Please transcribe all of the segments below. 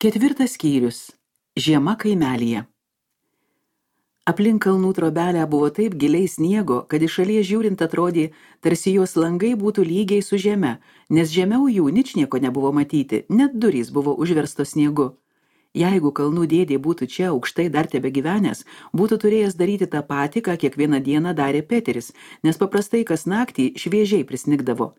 Ketvirtas skyrius. Žiema kaimelyje. Aplink kalnų trobelę buvo taip giliai sniego, kad iš šalies žiūrint atrodė, tarsi jos langai būtų lygiai su žeme, nes žemiau jų ničnieko nebuvo matyti, net durys buvo užverstos sniegu. Jeigu kalnų dėdė būtų čia aukštai dar tebegyvenęs, būtų turėjęs daryti tą patį, ką kiekvieną dieną darė Peteris, nes paprastai kas naktį šviežiai prisnigdavo.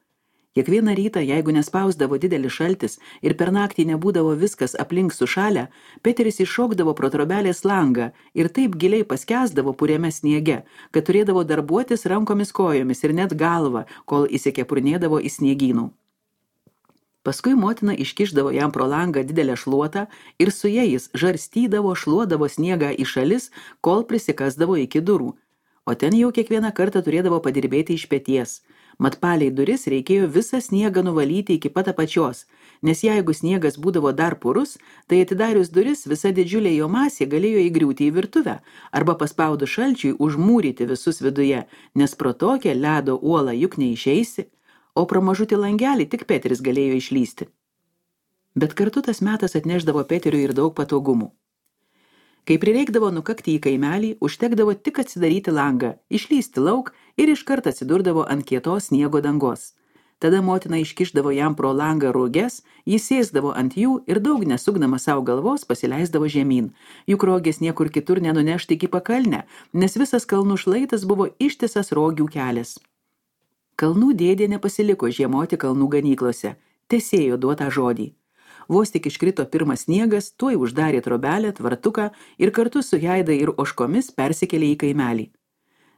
Kiekvieną rytą, jeigu nespausdavo didelis šaltis ir per naktį nebūdavo viskas aplink sušalę, Peteris iššokdavo pro trobelės langą ir taip giliai paskęsdavo puriame sniege, kad turėdavo darbuotis rankomis kojomis ir net galvą, kol įsikepurnėdavo į sniegynų. Paskui motina iškišdavo jam pro langą didelę šluotą ir su jais žarstydavo, šluodavo sniegą į šalis, kol prisikasdavo iki durų, o ten jau kiekvieną kartą turėdavo padirbėti iš peties. Mat palei duris reikėjo visą sniegą nuvalyti iki pat apačios, nes jeigu sniegas būdavo dar purus, tai atidarius duris visa didžiulė jo masė galėjo įgriūti į virtuvę arba paspaudus šalčiui užmūryti visus viduje, nes pro tokią ledo uolą juk neišeisi, o pro mažutį langelį tik Peteris galėjo išlysti. Bet kartu tas metas atnešdavo Peteriui ir daug patogumų. Kai prireikdavo nukakti į kaimelį, užtekdavo tik atsidaryti langą, išlysti lauk ir iškart atsidurdavo ant kietos sniego dangos. Tada motina iškišdavo jam pro langą rūges, jis sėsdavo ant jų ir daug nesukdama savo galvos pasileisdavo žemyn. Juk rogės niekur kitur nenunešti iki pakalnę, nes visas kalnų šlaitas buvo ištisas rogių kelias. Kalnų dėdė nepasiliko žiemoti kalnų ganyklose, tesėjo duotą žodį. Vos tik iškrito pirmas sniegas, tuoj uždarė trobelę, tvartuką ir kartu su Jaida ir ožkomis persikėlė į kaimelį.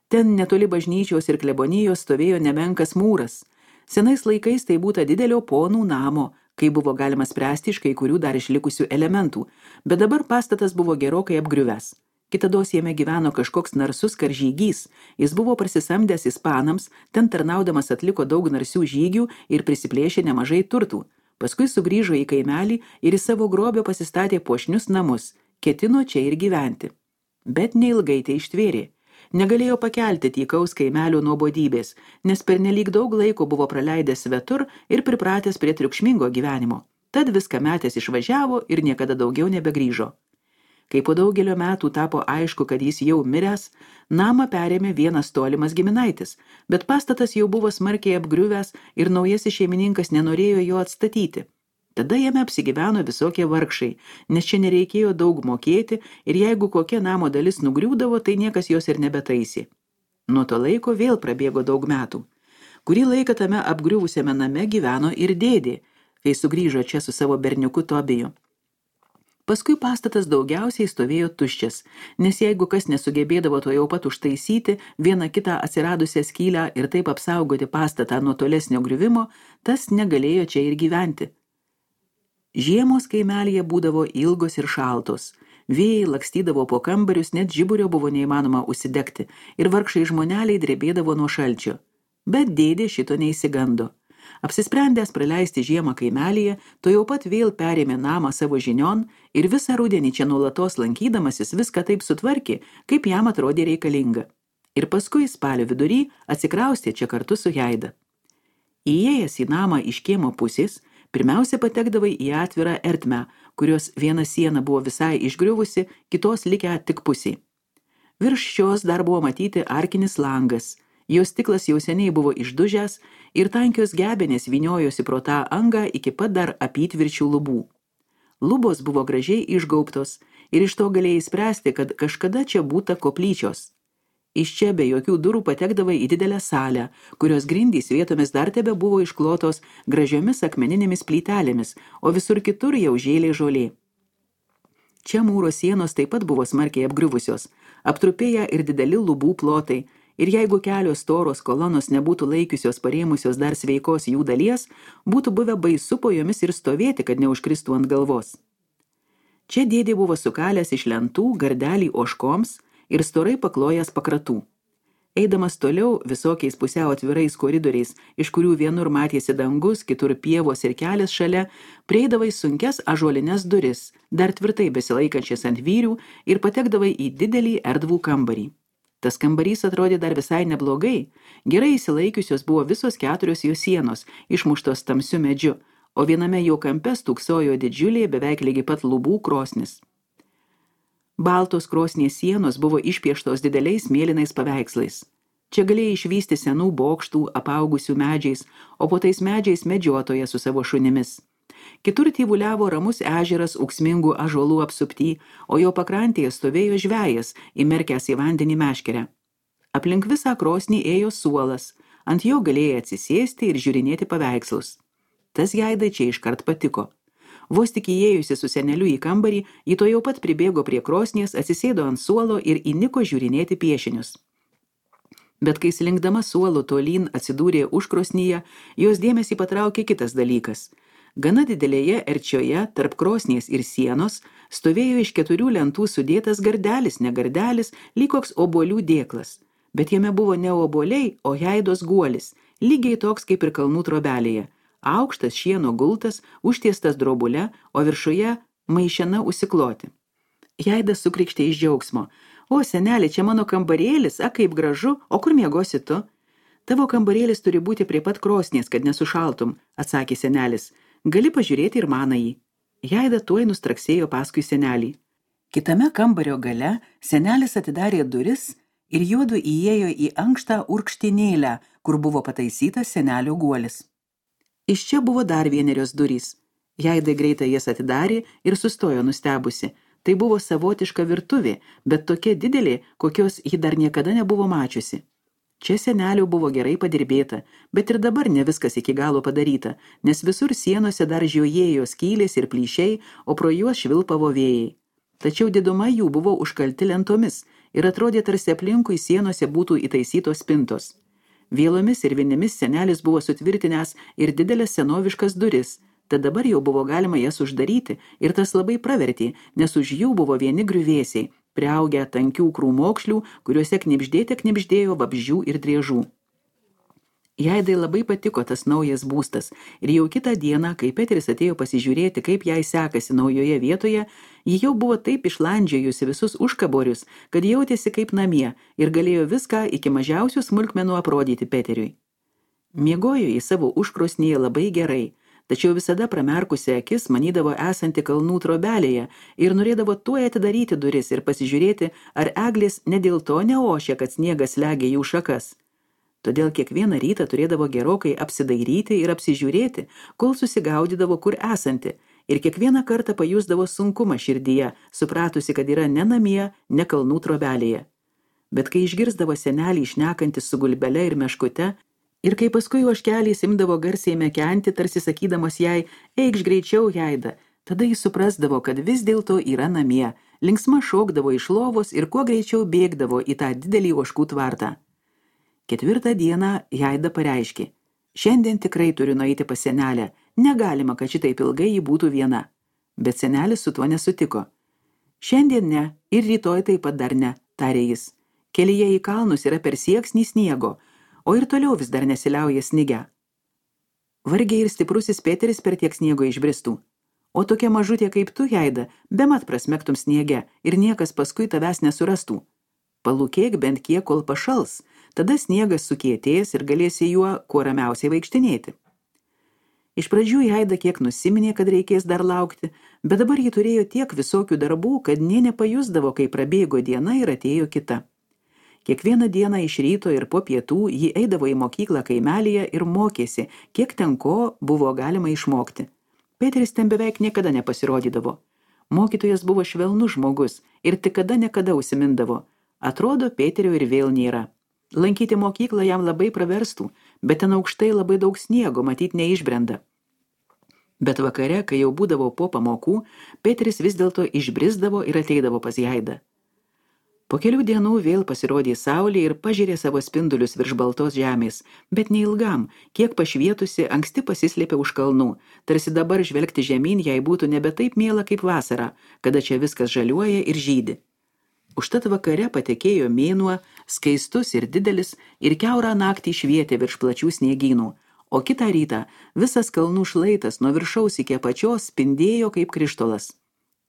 Ten netoli bažnyčios ir klebonijos stovėjo nemenkas mūras. Senais laikais tai būta didelio ponų namo, kai buvo galima spręsti iš kai kurių dar išlikusių elementų, bet dabar pastatas buvo gerokai apgriuvęs. Kitados jame gyveno kažkoks narsus karžygys, jis buvo prasisamdęs ispanams, ten tarnaudamas atliko daug narsių žygių ir prisiplėšė nemažai turtų. Paskui sugrįžo į kaimelį ir į savo grobio pasistatė puošnius namus, ketino čia ir gyventi. Bet neilgai tai ištvėrė. Negalėjo pakelti tykaus kaimelio nuobodybės, nes pernelyg daug laiko buvo praleidęs svetur ir pripratęs prie triukšmingo gyvenimo. Tad viską metęs išvažiavo ir niekada daugiau nebegrįžo. Kai po daugelio metų tapo aišku, kad jis jau miręs, namą perėmė vienas tolimas giminaitis, bet pastatas jau buvo smarkiai apgriuvęs ir naujasis šeimininkas nenorėjo jo atstatyti. Tada jame apsigyveno visokie vargšai, nes čia nereikėjo daug mokėti ir jeigu kokia namo dalis nugriūdavo, tai niekas jos ir nebetaisė. Nuo to laiko vėl prabėgo daug metų. Kurį laiką tame apgriuvusiame name gyveno ir dėdė, kai sugrįžo čia su savo berniuku Tobiju. Paskui pastatas daugiausiai stovėjo tuščias, nes jeigu kas nesugebėdavo to jau pat užtaisyti vieną kitą atsiradusią skylę ir taip apsaugoti pastatą nuo tolesnio griuvimo, tas negalėjo čia ir gyventi. Žiemos kaimelyje būdavo ilgos ir šaltos. Vėjai lakstydavo po kambarius, net žiburio buvo neįmanoma užsidegti ir vargšai žmoneliai drebėdavo nuo šalčio. Bet dėdė šito neįsigando. Apsisprendęs praleisti žiemą kaimelyje, to jau pat vėl perėmė namą savo žinion ir visą rudenį čia nuolatos lankydamasis viską taip sutvarkė, kaip jam atrodė reikalinga. Ir paskui spalio vidury atsikraustė čia kartu su Jaida. Įėjęs į namą iš kiemo pusės, pirmiausia patekdavai į atvirą ertmę, kurios viena siena buvo visai išgriuvusi, kitos likę tik pusė. Virš šios dar buvo matyti arkinis langas. Jos stiklas jau seniai buvo išdužęs ir tankios gebenės vyniojosi pro tą angą iki pat dar apytvirčių lubų. Lubos buvo gražiai išgaubtos ir iš to galėjai spręsti, kad kažkada čia būta koplyčios. Iš čia be jokių durų patekdavai į didelę salę, kurios grindys vietomis dar tebe buvo išklotos gražiomis akmeninėmis plytelėmis, o visur kitur jau žėlė žolė. Čia mūro sienos taip pat buvo smarkiai apgriuvusios, aptrupėję ir dideli lubų plotai, ir jeigu kelios storos kolonos nebūtų laikiusios parėmusios dar sveikos jų dalies, būtų buvę baisu po jomis ir stovėti, kad neužkristų ant galvos. Čia dėdė buvo sukalęs iš lentų gardelį ožkoms ir storai paklojęs pakratų. Eidamas toliau visokiais pusiau atvirais koridoriais, iš kurių vienur matėsi dangus, kitur pievos ir kelias šalia, prieidavai sunkias ąžuolines duris, dar tvirtai besilaikančias ant vyrių ir patekdavai į didelį erdvų kambarį. Tas kambarys atrodė dar visai neblogai, gerai įsilaikiusios buvo visos 4 jo sienos, išmuštos tamsiu medžiu, o viename jo kampe stūksojo didžiulė beveik lygiai pat lubų krosnis. Baltos krosnies sienos buvo išpieštos dideliais mėlynais paveikslais. Čia galėjai išvysti senų bokštų, apaugusių medžiais, o po tais medžiais medžiotoje su savo šunimis. Kitur tyvuliavo ramus ežeras ūksmingų ąžuolų apsupty, o jo pakrantėje stovėjo žvejas, įmerkęs į vandenį meškerę. Aplink visą krosnį ėjo suolas, ant jo galėjai atsisėsti ir žiūrinėti paveikslus. Tas Jaidai čia iškart patiko. Vos tik įėjusi su seneliu į kambarį, ji to jau pat pribėgo prie krosnies, atsisėdo ant suolo ir įniko žiūrinėti piešinius. Bet kai slinkdama suolo tolyn atsidūrė užkrosnyje, jos dėmesį patraukė kitas dalykas. Gana didelėje erčioje, tarp krosnies ir sienos, stovėjo iš 4 lentų sudėtas gardelis, ne gardelis, lyg koks obuolių dėklas. Bet jame buvo ne obuoliai, o Jaidos guolis, lygiai toks kaip ir kalnų trobelėje. Aukštas šieno gultas, užtiestas drobule, o viršuje maišena užsikloti. Jaida sukrikštė iš džiaugsmo. O, seneli, čia mano kambarėlis, kaip gražu, o kur miegosi tu? Tavo kambarėlis turi būti prie pat krosnies, kad nesušaltum, atsakė senelis. Gali pažiūrėti ir manąjį. Jaida tuoj nustraksėjo paskui senelį. Kitame kambario gale senelis atidarė duris ir juodu įėjo į ankštą urkštinėlę, kur buvo pataisytas senelio guolis. Iš čia buvo dar vienerios durys. Jaida greitai jas atidarė ir sustojo nustebusi. Tai buvo savotiška virtuvė, bet tokia didelė, kokios ji dar niekada nebuvo mačiusi. Čia senelio buvo gerai padirbėta, bet ir dabar ne viskas iki galo padaryta, nes visur sienose dar žiojėjo skylės ir plyšiai, o pro juos švilpavo vėjai. Tačiau diduma jų buvo užkalti lentomis ir atrodė tarsi aplinkui sienose būtų įtaisytos spintos. Vėlomis ir vinimis senelis buvo sutvirtinęs ir didelės senoviškas duris, tad dabar jau buvo galima jas uždaryti ir tas labai pravertė, nes už jų buvo vieni griuvėsiai, priaugę tankių krūmokšlių, kuriuose knibždėjo vabzdžių ir driežų. Jaidai labai patiko tas naujas būstas ir jau kitą dieną, kai Peteris atėjo pasižiūrėti, kaip jai sekasi naujoje vietoje, ji jau buvo taip išlandžiojusi visus užkaborius, kad jautėsi kaip namie ir galėjo viską iki mažiausių smulkmenų aprodyti Peteriui. Miegojo į savo užkrosnėje labai gerai, tačiau visada pramerkusi akis manydavo esanti kalnų trobelėje ir norėdavo tuoj atidaryti duris ir pasižiūrėti, ar eglės ne dėl to neošia, kad sniegas slegia jų šakas. Todėl kiekvieną rytą turėdavo gerokai apsidairyti ir apsižiūrėti, kol susigaudydavo, kur esanti, ir kiekvieną kartą pajusdavo sunkumą širdyje, supratusi, kad yra ne namie, ne kalnų trobelėje. Bet kai išgirsdavo senelį šnekantis su gulbele ir meškute, ir kai paskui ožkeliais imdavo garsiai mekenti, tarsi sakydamas jai, eikš greičiau, Jaida, tada jis suprasdavo, kad vis dėlto yra namie, linksma šokdavo iš lovos ir kuo greičiau bėgdavo į tą didelį ožkų tvartą. 4 dieną Jaida pareiškė, šiandien tikrai turiu nueiti pas senelę, negalima, kad šitaip ilgai ji būtų viena. Bet senelis su tuo nesutiko. Šiandien ne, ir rytoj taip pat dar ne, tarė jis. Kelyje į kalnus yra per sieksnį sniego, o ir toliau vis dar nesiliauja snigę. Vargiai ir stiprusis Peteris per tiek sniego išbristų. O tokia mažutė kaip tu, Jaida, bemat prasmektum sniege ir niekas paskui tavęs nesurastų. Palūkėk bent kiek, kol pašals, tada sniegas sukietės ir galėsi juo kuo ramiausiai vaikštinėti. Iš pradžių Jaida kiek nusiminė, kad reikės dar laukti, bet dabar ji turėjo tiek visokių darbų, kad nė nepajusdavo, kai prabėgo diena ir atėjo kita. Kiekvieną dieną iš ryto ir po pietų ji eidavo į mokyklą kaimelyje ir mokėsi, kiek ten ko buvo galima išmokti. Peteris ten beveik niekada nepasirodydavo. Mokytojas buvo švelnus žmogus ir tik kada užsimindavo. Atrodo, Peterio ir vėl nėra. Lankyti mokyklą jam labai praverstų, bet ten aukštai labai daug sniego, matyt, neišbrenda. Bet vakare, kai jau būdavo po pamokų, Peteris vis dėlto išbrisdavo ir ateidavo pas Jaidą. Po kelių dienų vėl pasirodė saulė ir pažėrė savo spindulius virš baltos žemės, bet neilgam, kiek pašvietusi, anksti pasislėpė už kalnų, tarsi dabar žvelgti žemyn jai būtų nebe taip miela kaip vasara, kada čia viskas žaliuoja ir žydi. Užtat vakare patekėjo mėnuo, skaistus ir didelis, ir kiaurą naktį švietė virš plačių sniegynų, o kitą rytą visas kalnų šlaitas nuo viršaus iki apačios spindėjo kaip krištolas.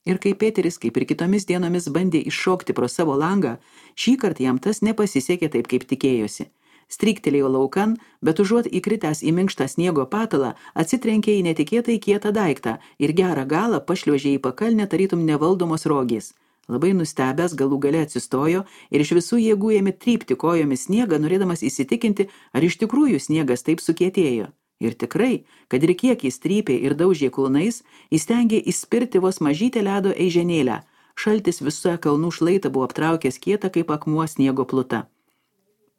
Ir kai Peteris, kaip ir kitomis dienomis, bandė iššokti pro savo langą, šįkart jam tas nepasisekė taip, kaip tikėjosi. stryktelėjo laukan, bet užuot įkritęs į minkštą sniego patalą, atsitrenkė į netikėtai kietą daiktą ir gerą galą pašliuožė į pakalnę tarytum nevaldomos rogės. Labai nustebęs galų gale atsistojo ir iš visų jėgų ėmė trypti kojomis sniegą, norėdamas įsitikinti, ar iš tikrųjų sniegas taip sukietėjo. Ir tikrai, kad ir kiek jis trypė ir daužė kulnais, įstengė įspirti vos mažytę ledo eiženėlę. Šaltis visą kalnų šlaitą buvo aptraukęs kietą kaip akmuo sniego pluta.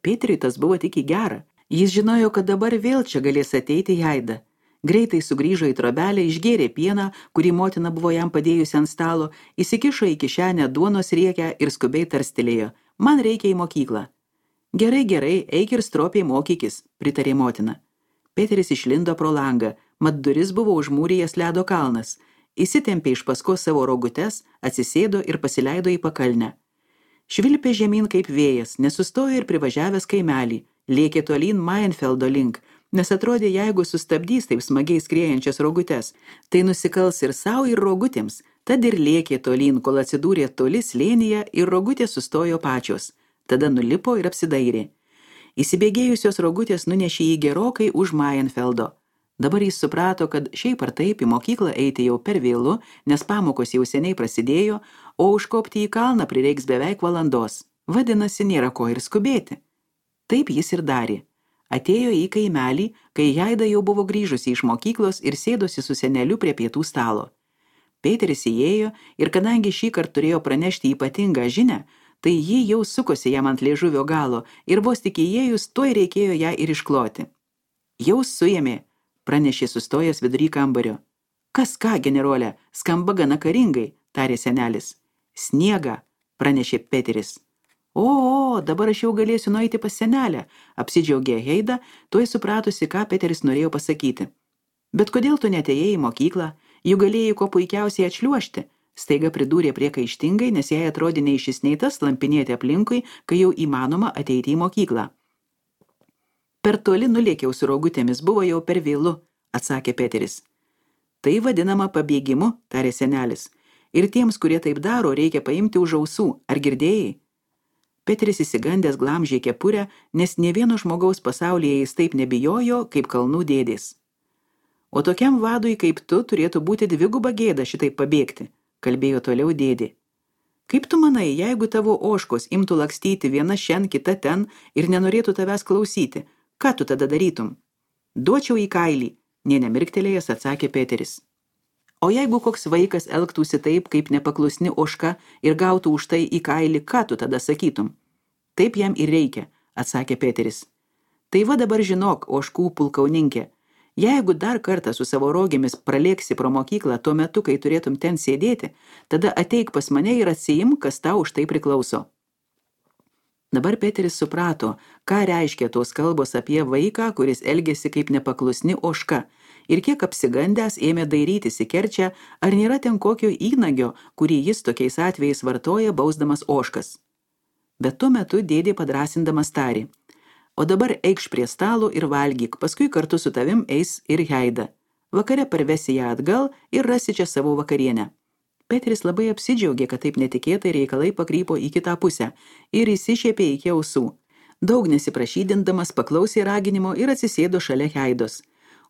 Peteriui tas buvo tik į gerą. Jis žinojo, kad dabar vėl čia galės ateiti Jaida. Greitai sugrįžo į trobelę, išgėrė pieną, kurį motina buvo jam padėjusi ant stalo, įsikišo į kišenę duonos riekę ir skubiai tarstelėjo: man reikia į mokyklą. Gerai, gerai, eik ir stropiai mokykis, pritarė motina. Peteris išlindo pro langą, mat duris buvo užmūrijęs ledo kalnas. Įsitempė iš paskos savo rogutes, atsisėdo ir pasileido į pakalnę. Švilpė žemyn kaip vėjas, nesustojo ir privažiavęs kaimelį, lėkė tolyn Mainfeldo link, nes atrodė, jeigu sustabdys taip smagiai skriejančias rogutes, tai nusikals ir savo, ir rogutėms, tad ir lėkė tolyn, kol atsidūrė toli slėnyje ir rogutės sustojo pačios. Tada nulipo ir apsidairė. Įsibėgėjusios rogutės nunešė jį gerokai už Mainfeldo. Dabar jis suprato, kad šiaip ar taip į mokyklą eiti jau per vėlu, nes pamokos jau seniai prasidėjo, o užkopti į kalną prireiks beveik valandos. Vadinasi, nėra ko ir skubėti. Taip jis ir darė. Atėjo į kaimelį, kai Jaida jau buvo grįžusi iš mokyklos ir sėdosi su seneliu prie pietų stalo. Peteris įėjo ir kadangi šį kartą turėjo pranešti ypatingą žinią, tai ji jau sukosi jam ant liežuvio galo ir vos tik įėjus, tuoj reikėjo ją ir iškloti. Jau suėmė, pranešė sustojęs vidury kambario. Kas ką, generolė, skamba gana karingai, tarė senelis. Sniegą, pranešė Peteris. O, dabar aš jau galėsiu nueiti pas senelę, apsidžiaugė Heida, tuoj supratusi, ką Peteris norėjo pasakyti. Bet kodėl tu neatėjai į mokyklą, juk galėjai ko puikiausiai atšliuožti, staiga pridūrė priekaištingai, nes jai atrodė nei šis nei tas lampinėti aplinkui, kai jau įmanoma ateiti į mokyklą. Per toli nulėkiau su rogutėmis, buvo jau per vėlu, atsakė Peteris. Tai vadinama pabėgimu, tarė senelis. Ir tiems, kurie taip daro, reikia paimti už ausų, ar girdėjai? Peteris įsigandęs glamžė kepurę, nes nė vieno žmogaus pasaulyje jis taip nebijojo, kaip kalnų dėdės. O tokiam vadui kaip tu turėtų būti dviguba gėda šitaip pabėgti, kalbėjo toliau dėdė. Kaip tu manai, jeigu tavo ožkos imtų lakstyti viena šen, kita ten ir nenorėtų tavęs klausyti, ką tu tada darytum? Duočiau į kailį, nė nemirktelėjęs atsakė Peteris. O jeigu koks vaikas elgtųsi taip, kaip nepaklusni ožka ir gautų už tai į kailį, ką tu tada sakytum? Taip jam ir reikia, atsakė Peteris. Tai va dabar žinok, ožkų pulkauninkė, jeigu dar kartą su savo rogėmis pralėksi pro mokyklą tuo metu, kai turėtum ten sėdėti, tada ateik pas mane ir atsiimk, kas tau už tai priklauso. Dabar Peteris suprato, ką reiškia tos kalbos apie vaiką, kuris elgėsi kaip nepaklusni ožka, ir kiek apsigandęs ėmė dairytis į kerčią, ar nėra ten kokio įnagio, kurį jis tokiais atvejais vartoja bausdamas ožkas. Bet tuo metu dėdė padrasindamas tarė: o dabar eikš prie stalo ir valgyk, paskui kartu su tavim eis ir Heida. Vakare parvesi ją atgal ir rasi čia savo vakarienę. Peteris labai apsidžiaugė, kad taip netikėtai reikalai pakrypo į kitą pusę ir įsišiepė iki ausų. Daug nesiprašydindamas paklausė raginimo ir atsisėdo šalia Heidos.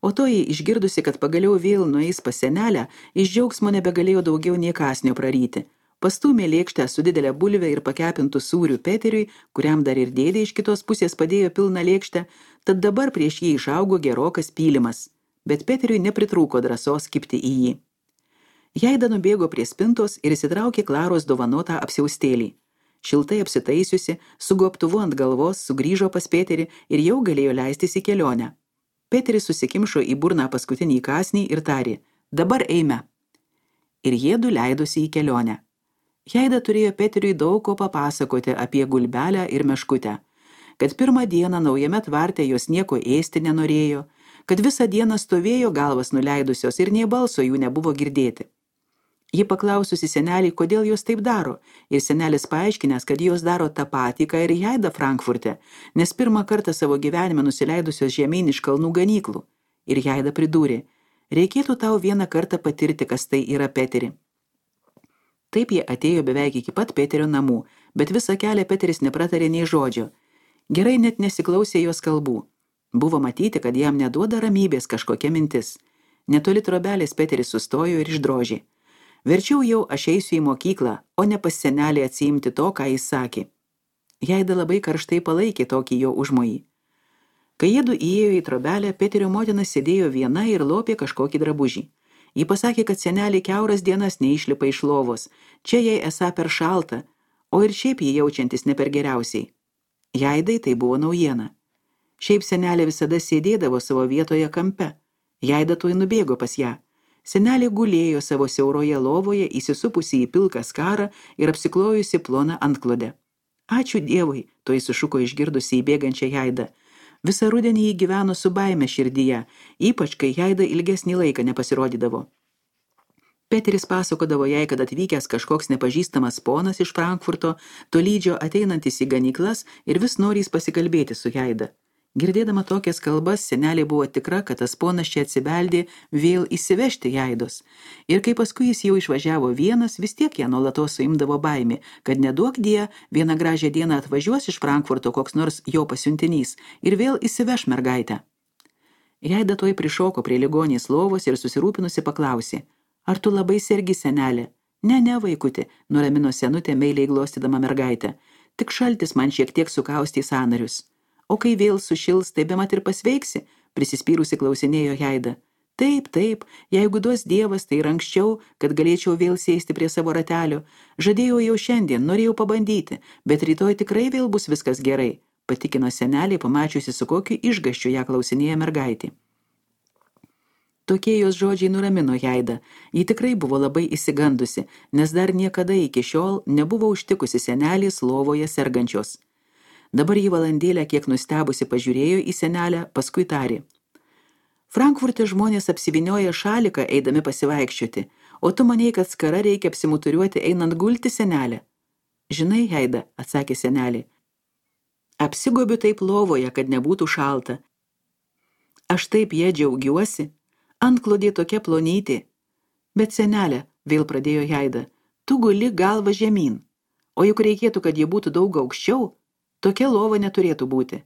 O toji, išgirdusi, kad pagaliau vėl nueis pas senelę, iš džiaugsmo nebegalėjo daugiau nie kąsnio praryti. Pastūmė lėkštę su didelė bulve ir pakepintų sūrių Peteriui, kuriam dar ir dėdė iš kitos pusės padėjo pilną lėkštę, tad dabar prieš jį išaugo gerokas pylimas. Bet Peteriui nepritrūko drąsos kibti į jį. Jaida nubėgo prie spintos ir įsitraukė Klaros dovanotą apsiaustėlį. Šiltai apsitaisiusi, su gobtuvu ant galvos, sugrįžo pas Peterį ir jau galėjo leistis į kelionę. Peteris susikimšo į burną paskutinį kąsnį ir tarė: dabar eime. Ir jiedu leidosi į kelionę. Jaida turėjo Peteriui daug ko papasakoti apie gulbelę ir meškutę, kad pirmą dieną naujame tvarte jos nieko ėsti nenorėjo, kad visą dieną stovėjo galvas nuleidusios ir nė balso jų nebuvo girdėti. Ji paklaususi senelį, kodėl jos taip daro, ir senelis paaiškinęs, kad jos daro tą patį, ką ir Jaida Frankfurte, nes pirmą kartą savo gyvenime nusileidusios žemyn iš kalnų ganyklų. Ir Jaida pridūrė: reikėtų tau vieną kartą patirti, kas tai yra, Peteri. Taip jie atėjo beveik iki pat Peterio namų, bet visą kelią Peteris nepratarė nei žodžio. Gerai net nesiklausė jos kalbų. Buvo matyti, kad jam neduoda ramybės kažkokia mintis. Netoli trobelės Peteris sustojo ir išdrožė. Verčiau jau aš eisiu į mokyklą, o ne pas senelį atsiimti to, ką jis sakė. Jaida labai karštai palaikė tokį jo užmojį. Kai jiedu įėjo į trobelę, Peterio motina sėdėjo viena ir lopė kažkokį drabužį. Ji pasakė, kad senelį kiauras dienas neišlipa iš lovos, čia jai esą per šalta, o ir šiaip jį jaučiantis ne per geriausiai. Jaidai tai buvo naujiena. Šiaip senelė visada sėdėdavo savo vietoje kampe. Jaida tuoj nubėgo pas ją. Senelė gulėjo savo siauroje lovoje, įsisupusi į pilką skarą ir apsiklojusi ploną antklodę. Ačiū Dievui, tuoj sušuko išgirdusi įbėgančią Jaidą. Visą rudenį jį gyveno su baime širdyje, ypač kai Jaida ilgesnį laiką nepasirodydavo. Peteris pasakodavo jai, kad atvykęs kažkoks nepažįstamas ponas iš Frankfurto, tolydžio ateinantis į ganyklas ir vis norys pasikalbėti su Jaida. Girdėdama tokias kalbas, senelė buvo tikra, kad tas ponas čia atsibeldė vėl įsivežti Jaidos. Ir kai paskui jis jau išvažiavo vienas, vis tiek ją nuolatos suimdavo baimė, kad neduok die, vieną gražią dieną atvažiuos iš Frankfurto koks nors jo pasiuntinys ir vėl įsiveš mergaitę. Jaida tuoj prišoko prie ligonės lovos ir susirūpinusi paklausė: ar tu labai sergi, senelė? Ne, vaikuti, nuramino senutė meiliai glostydama mergaitę. Tik šaltis man šiek tiek sukaustė sąnarius. O kai vėl sušils, tai bemat ir pasveiksi, prisispyrusi klausinėjo Jaida. Taip, jeigu duos Dievas, tai ir anksčiau, kad galėčiau vėl sėsti prie savo ratelio. Žadėjau jau šiandien, norėjau pabandyti, bet rytoj tikrai vėl bus viskas gerai, patikino senelė, pamačiusi su kokiu išgąsčiu ją klausinėja mergaitė. Tokie jos žodžiai nuramino Jaidą. Ji tikrai buvo labai įsigandusi, nes dar niekada iki šiol nebuvo užtikusi senelės lovoje sergančios. Dabar jį valandėlę kiek nustebusi pažiūrėjo į senelę, paskui tarė: Frankfurte žmonės apsivinioja šaliką eidami pasivaikščioti, o tu manei, kad skara reikia apsimuturiuoti einant gulti, senelė. Žinai, Jaida, atsakė senelė, apsigobiu taip lovoje, kad nebūtų šalta. Aš taip ją džiaugiuosi, antklodė tokia plonytė. Bet senelė, vėl pradėjo Jaida, tu guli galva žemyn, o juk reikėtų, kad ji būtų daug aukščiau. Tokia lova neturėtų būti.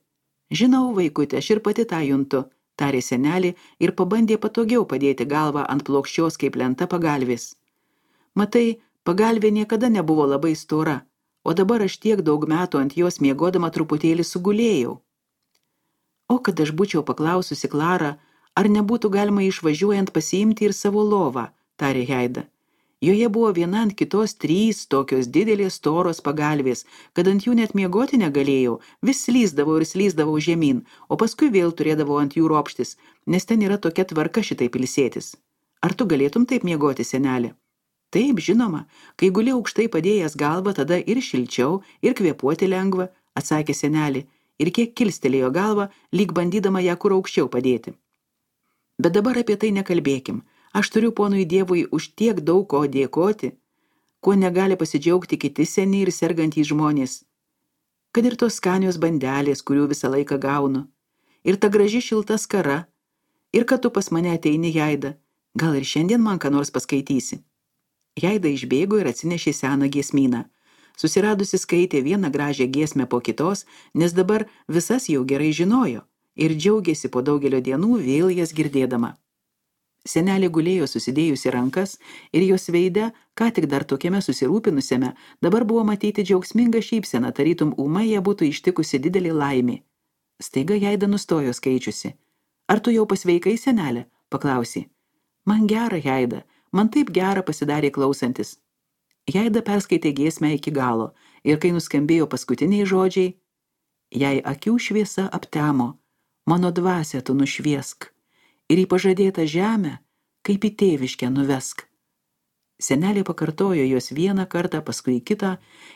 Žinau, vaikutė, aš ir pati tą juntu, tarė senelė ir pabandė patogiau padėti galvą ant plokščios kaip lenta pagalvės. Matai, pagalvė niekada nebuvo labai stora, o dabar aš tiek daug metų ant jos miegodama truputėlį sugulėjau. O kad aš būčiau paklaususi Klarą, ar nebūtų galima išvažiuojant pasiimti ir savo lovą, tarė Jaida. Joje buvo viena ant kitos 3 tokios didelės storos pagalvės, kad ant jų net miegoti negalėjau, vis slysdavau žemyn, o paskui vėl turėdavau ant jų ropštis, nes ten yra tokia tvarka šitaip ilsėtis. Ar tu galėtum taip miegoti, senelė? Taip, žinoma, kai guli aukštai padėjęs galvą, tada ir šilčiau, ir kvėpuoti lengva, atsakė senelė, ir kiek kilstelėjo galvą, lyg bandydama ją kur aukščiau padėti. Bet dabar apie tai nekalbėkim. Aš turiu ponui Dievui už tiek daug ko dėkoti, kuo negali pasidžiaugti kiti seni ir sergantys žmonės. Kad ir tos skanios bandelės, kurių visą laiką gaunu, ir ta graži šilta skara, ir kad tu pas mane ateini, Jaida, gal ir šiandien man ką nors paskaitysi. Jaida išbėgo ir atsinešė seną giesmyną. Susiradusi skaitė vieną gražią giesmę po kitos, nes dabar visas jau gerai žinojo ir džiaugėsi po daugelio dienų vėl jas girdėdama. Senelė gulėjo susidėjusi rankas ir jos veide, ką tik dar tokiame susirūpinusiame, dabar buvo matyti džiaugsminga šypsena, tarytum ūmai ją būtų ištikusi didelį laimė. Staiga Jaida nustojo skaičiusi. Ar tu jau pasveikai, senelė? Paklausė. Man gera, Jaida, man taip gera pasidarė klausantis. Jaida perskaitė giesmę iki galo ir kai nuskambėjo paskutiniai žodžiai, jei akių šviesa aptemo, mano dvasią tu nušviesk. Ir į pažadėtą žemę, kaip į tėviškę nuvesk. Senelė pakartojo jos vieną kartą, paskui kitą,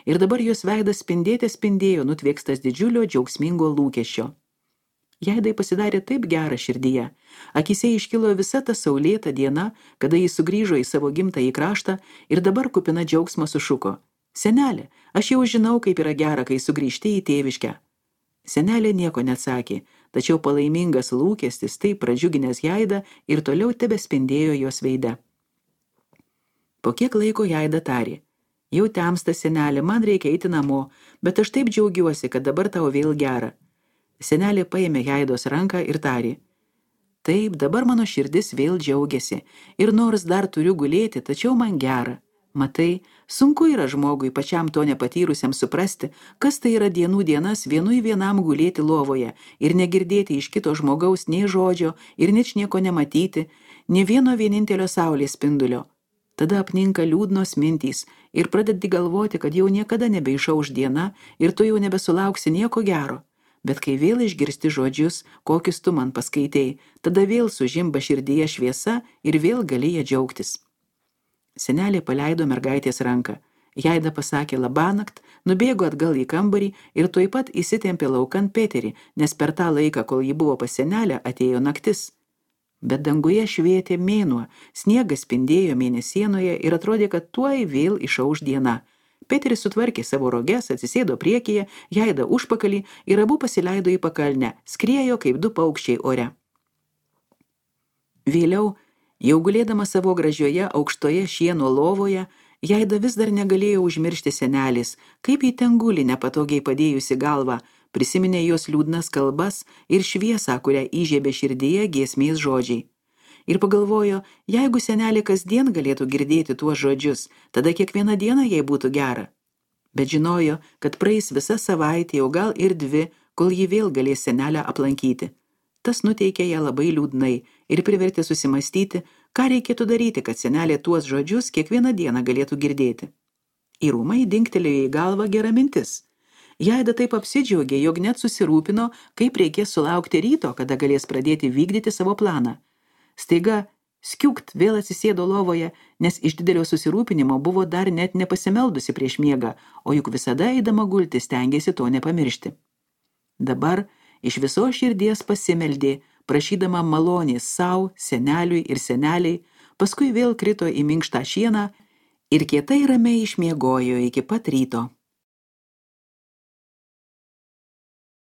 ir dabar jos veidas spindėjo, nutvėkstas didžiulio džiaugsmingo lūkesčio. Jaidai pasidarė taip gera širdyje, akyse iškilo visa ta saulėta diena, kada jis sugrįžo į savo gimtąjį kraštą ir dabar kupina džiaugsmo sušuko. Senelė, aš jau žinau, kaip yra gera, kai sugrįžti į tėviškę. Senelė nieko neatsakė, tačiau palaimingas lūkestis taip pradžiuginęs Jaidą ir toliau tebespindėjo jos veide. Po kiek laiko Jaida tarė. Jau temsta, senelė, man reikia eiti namo, bet aš taip džiaugiuosi, kad dabar tau vėl gera. Senelė paėmė Jaidos ranką ir tarė: Taip, dabar mano širdis vėl džiaugiasi ir nors dar turiu gulėti, tačiau man gera. Matai, sunku yra žmogui pačiam to nepatyrusiam suprasti, kas tai yra dienų dienas vienam gulėti lovoje ir negirdėti iš kito žmogaus nei žodžio ir ničnieko nematyti, nė vieno vienintelio saulės spindulio. Tada apninka liūdnos mintys ir pradedi galvoti, kad jau niekada nebeišauš diena ir tu jau nebesulauksi nieko gero. Bet kai vėl išgirsti žodžius, kokius tu man paskaitei, tada vėl sužimba širdyje šviesa ir vėl gali ją džiaugtis. Senelė paleido mergaitės ranką. Jaida pasakė labanakt, nubėgo atgal į kambarį ir tuoj pat įsitempė laukan Peterį, nes per tą laiką, kol ji buvo pas senelę, atėjo naktis. Bet danguje švietė mėnuo, sniegas spindėjo mėnesienoje ir atrodė, kad tuoj vėl išauš diena. Peteris sutvarkė savo roges, atsisėdo priekyje, Jaida užpakalį ir abu pasileido į pakalnę, skriejo kaip du paukščiai ore. Vėliau, jau gulėdama savo gražioje aukštoje šieno lovoje, Jaida vis dar negalėjo užmiršti senelės, kaip į ten guli nepatogiai padėjusi galvą, prisiminė jos liūdnas kalbas ir šviesą, kurią įžiebė širdyje giesmės žodžiai. Ir pagalvojo, jeigu senelė kasdien galėtų girdėti tuos žodžius, tada kiekvieną dieną jai būtų gera. Bet žinojo, kad praeis visa savaitė, o gal ir 2, kol ji vėl galės senelę aplankyti. Tas nuteikė ją labai liūdnai ir privertė susimastyti, ką reikėtų daryti, kad senelė tuos žodžius kiekvieną dieną galėtų girdėti. Į rūmai dingtelėjo į galvą gera mintis. Jaida taip apsidžiaugė, jog net susirūpino, kaip reikės sulaukti ryto, kada galės pradėti vykdyti savo planą. Staiga skiukt vėl atsisėdo lovoje, nes iš didelio susirūpinimo buvo dar net nepasimeldusi prieš miegą, o juk visada eidama gulti stengėsi to nepamiršti. Dabar iš viso širdies pasimeldė, prašydama malonės sau, seneliui ir seneliai, paskui vėl krito į minkštą šieną ir kietai ramiai išmiegojo iki pat ryto.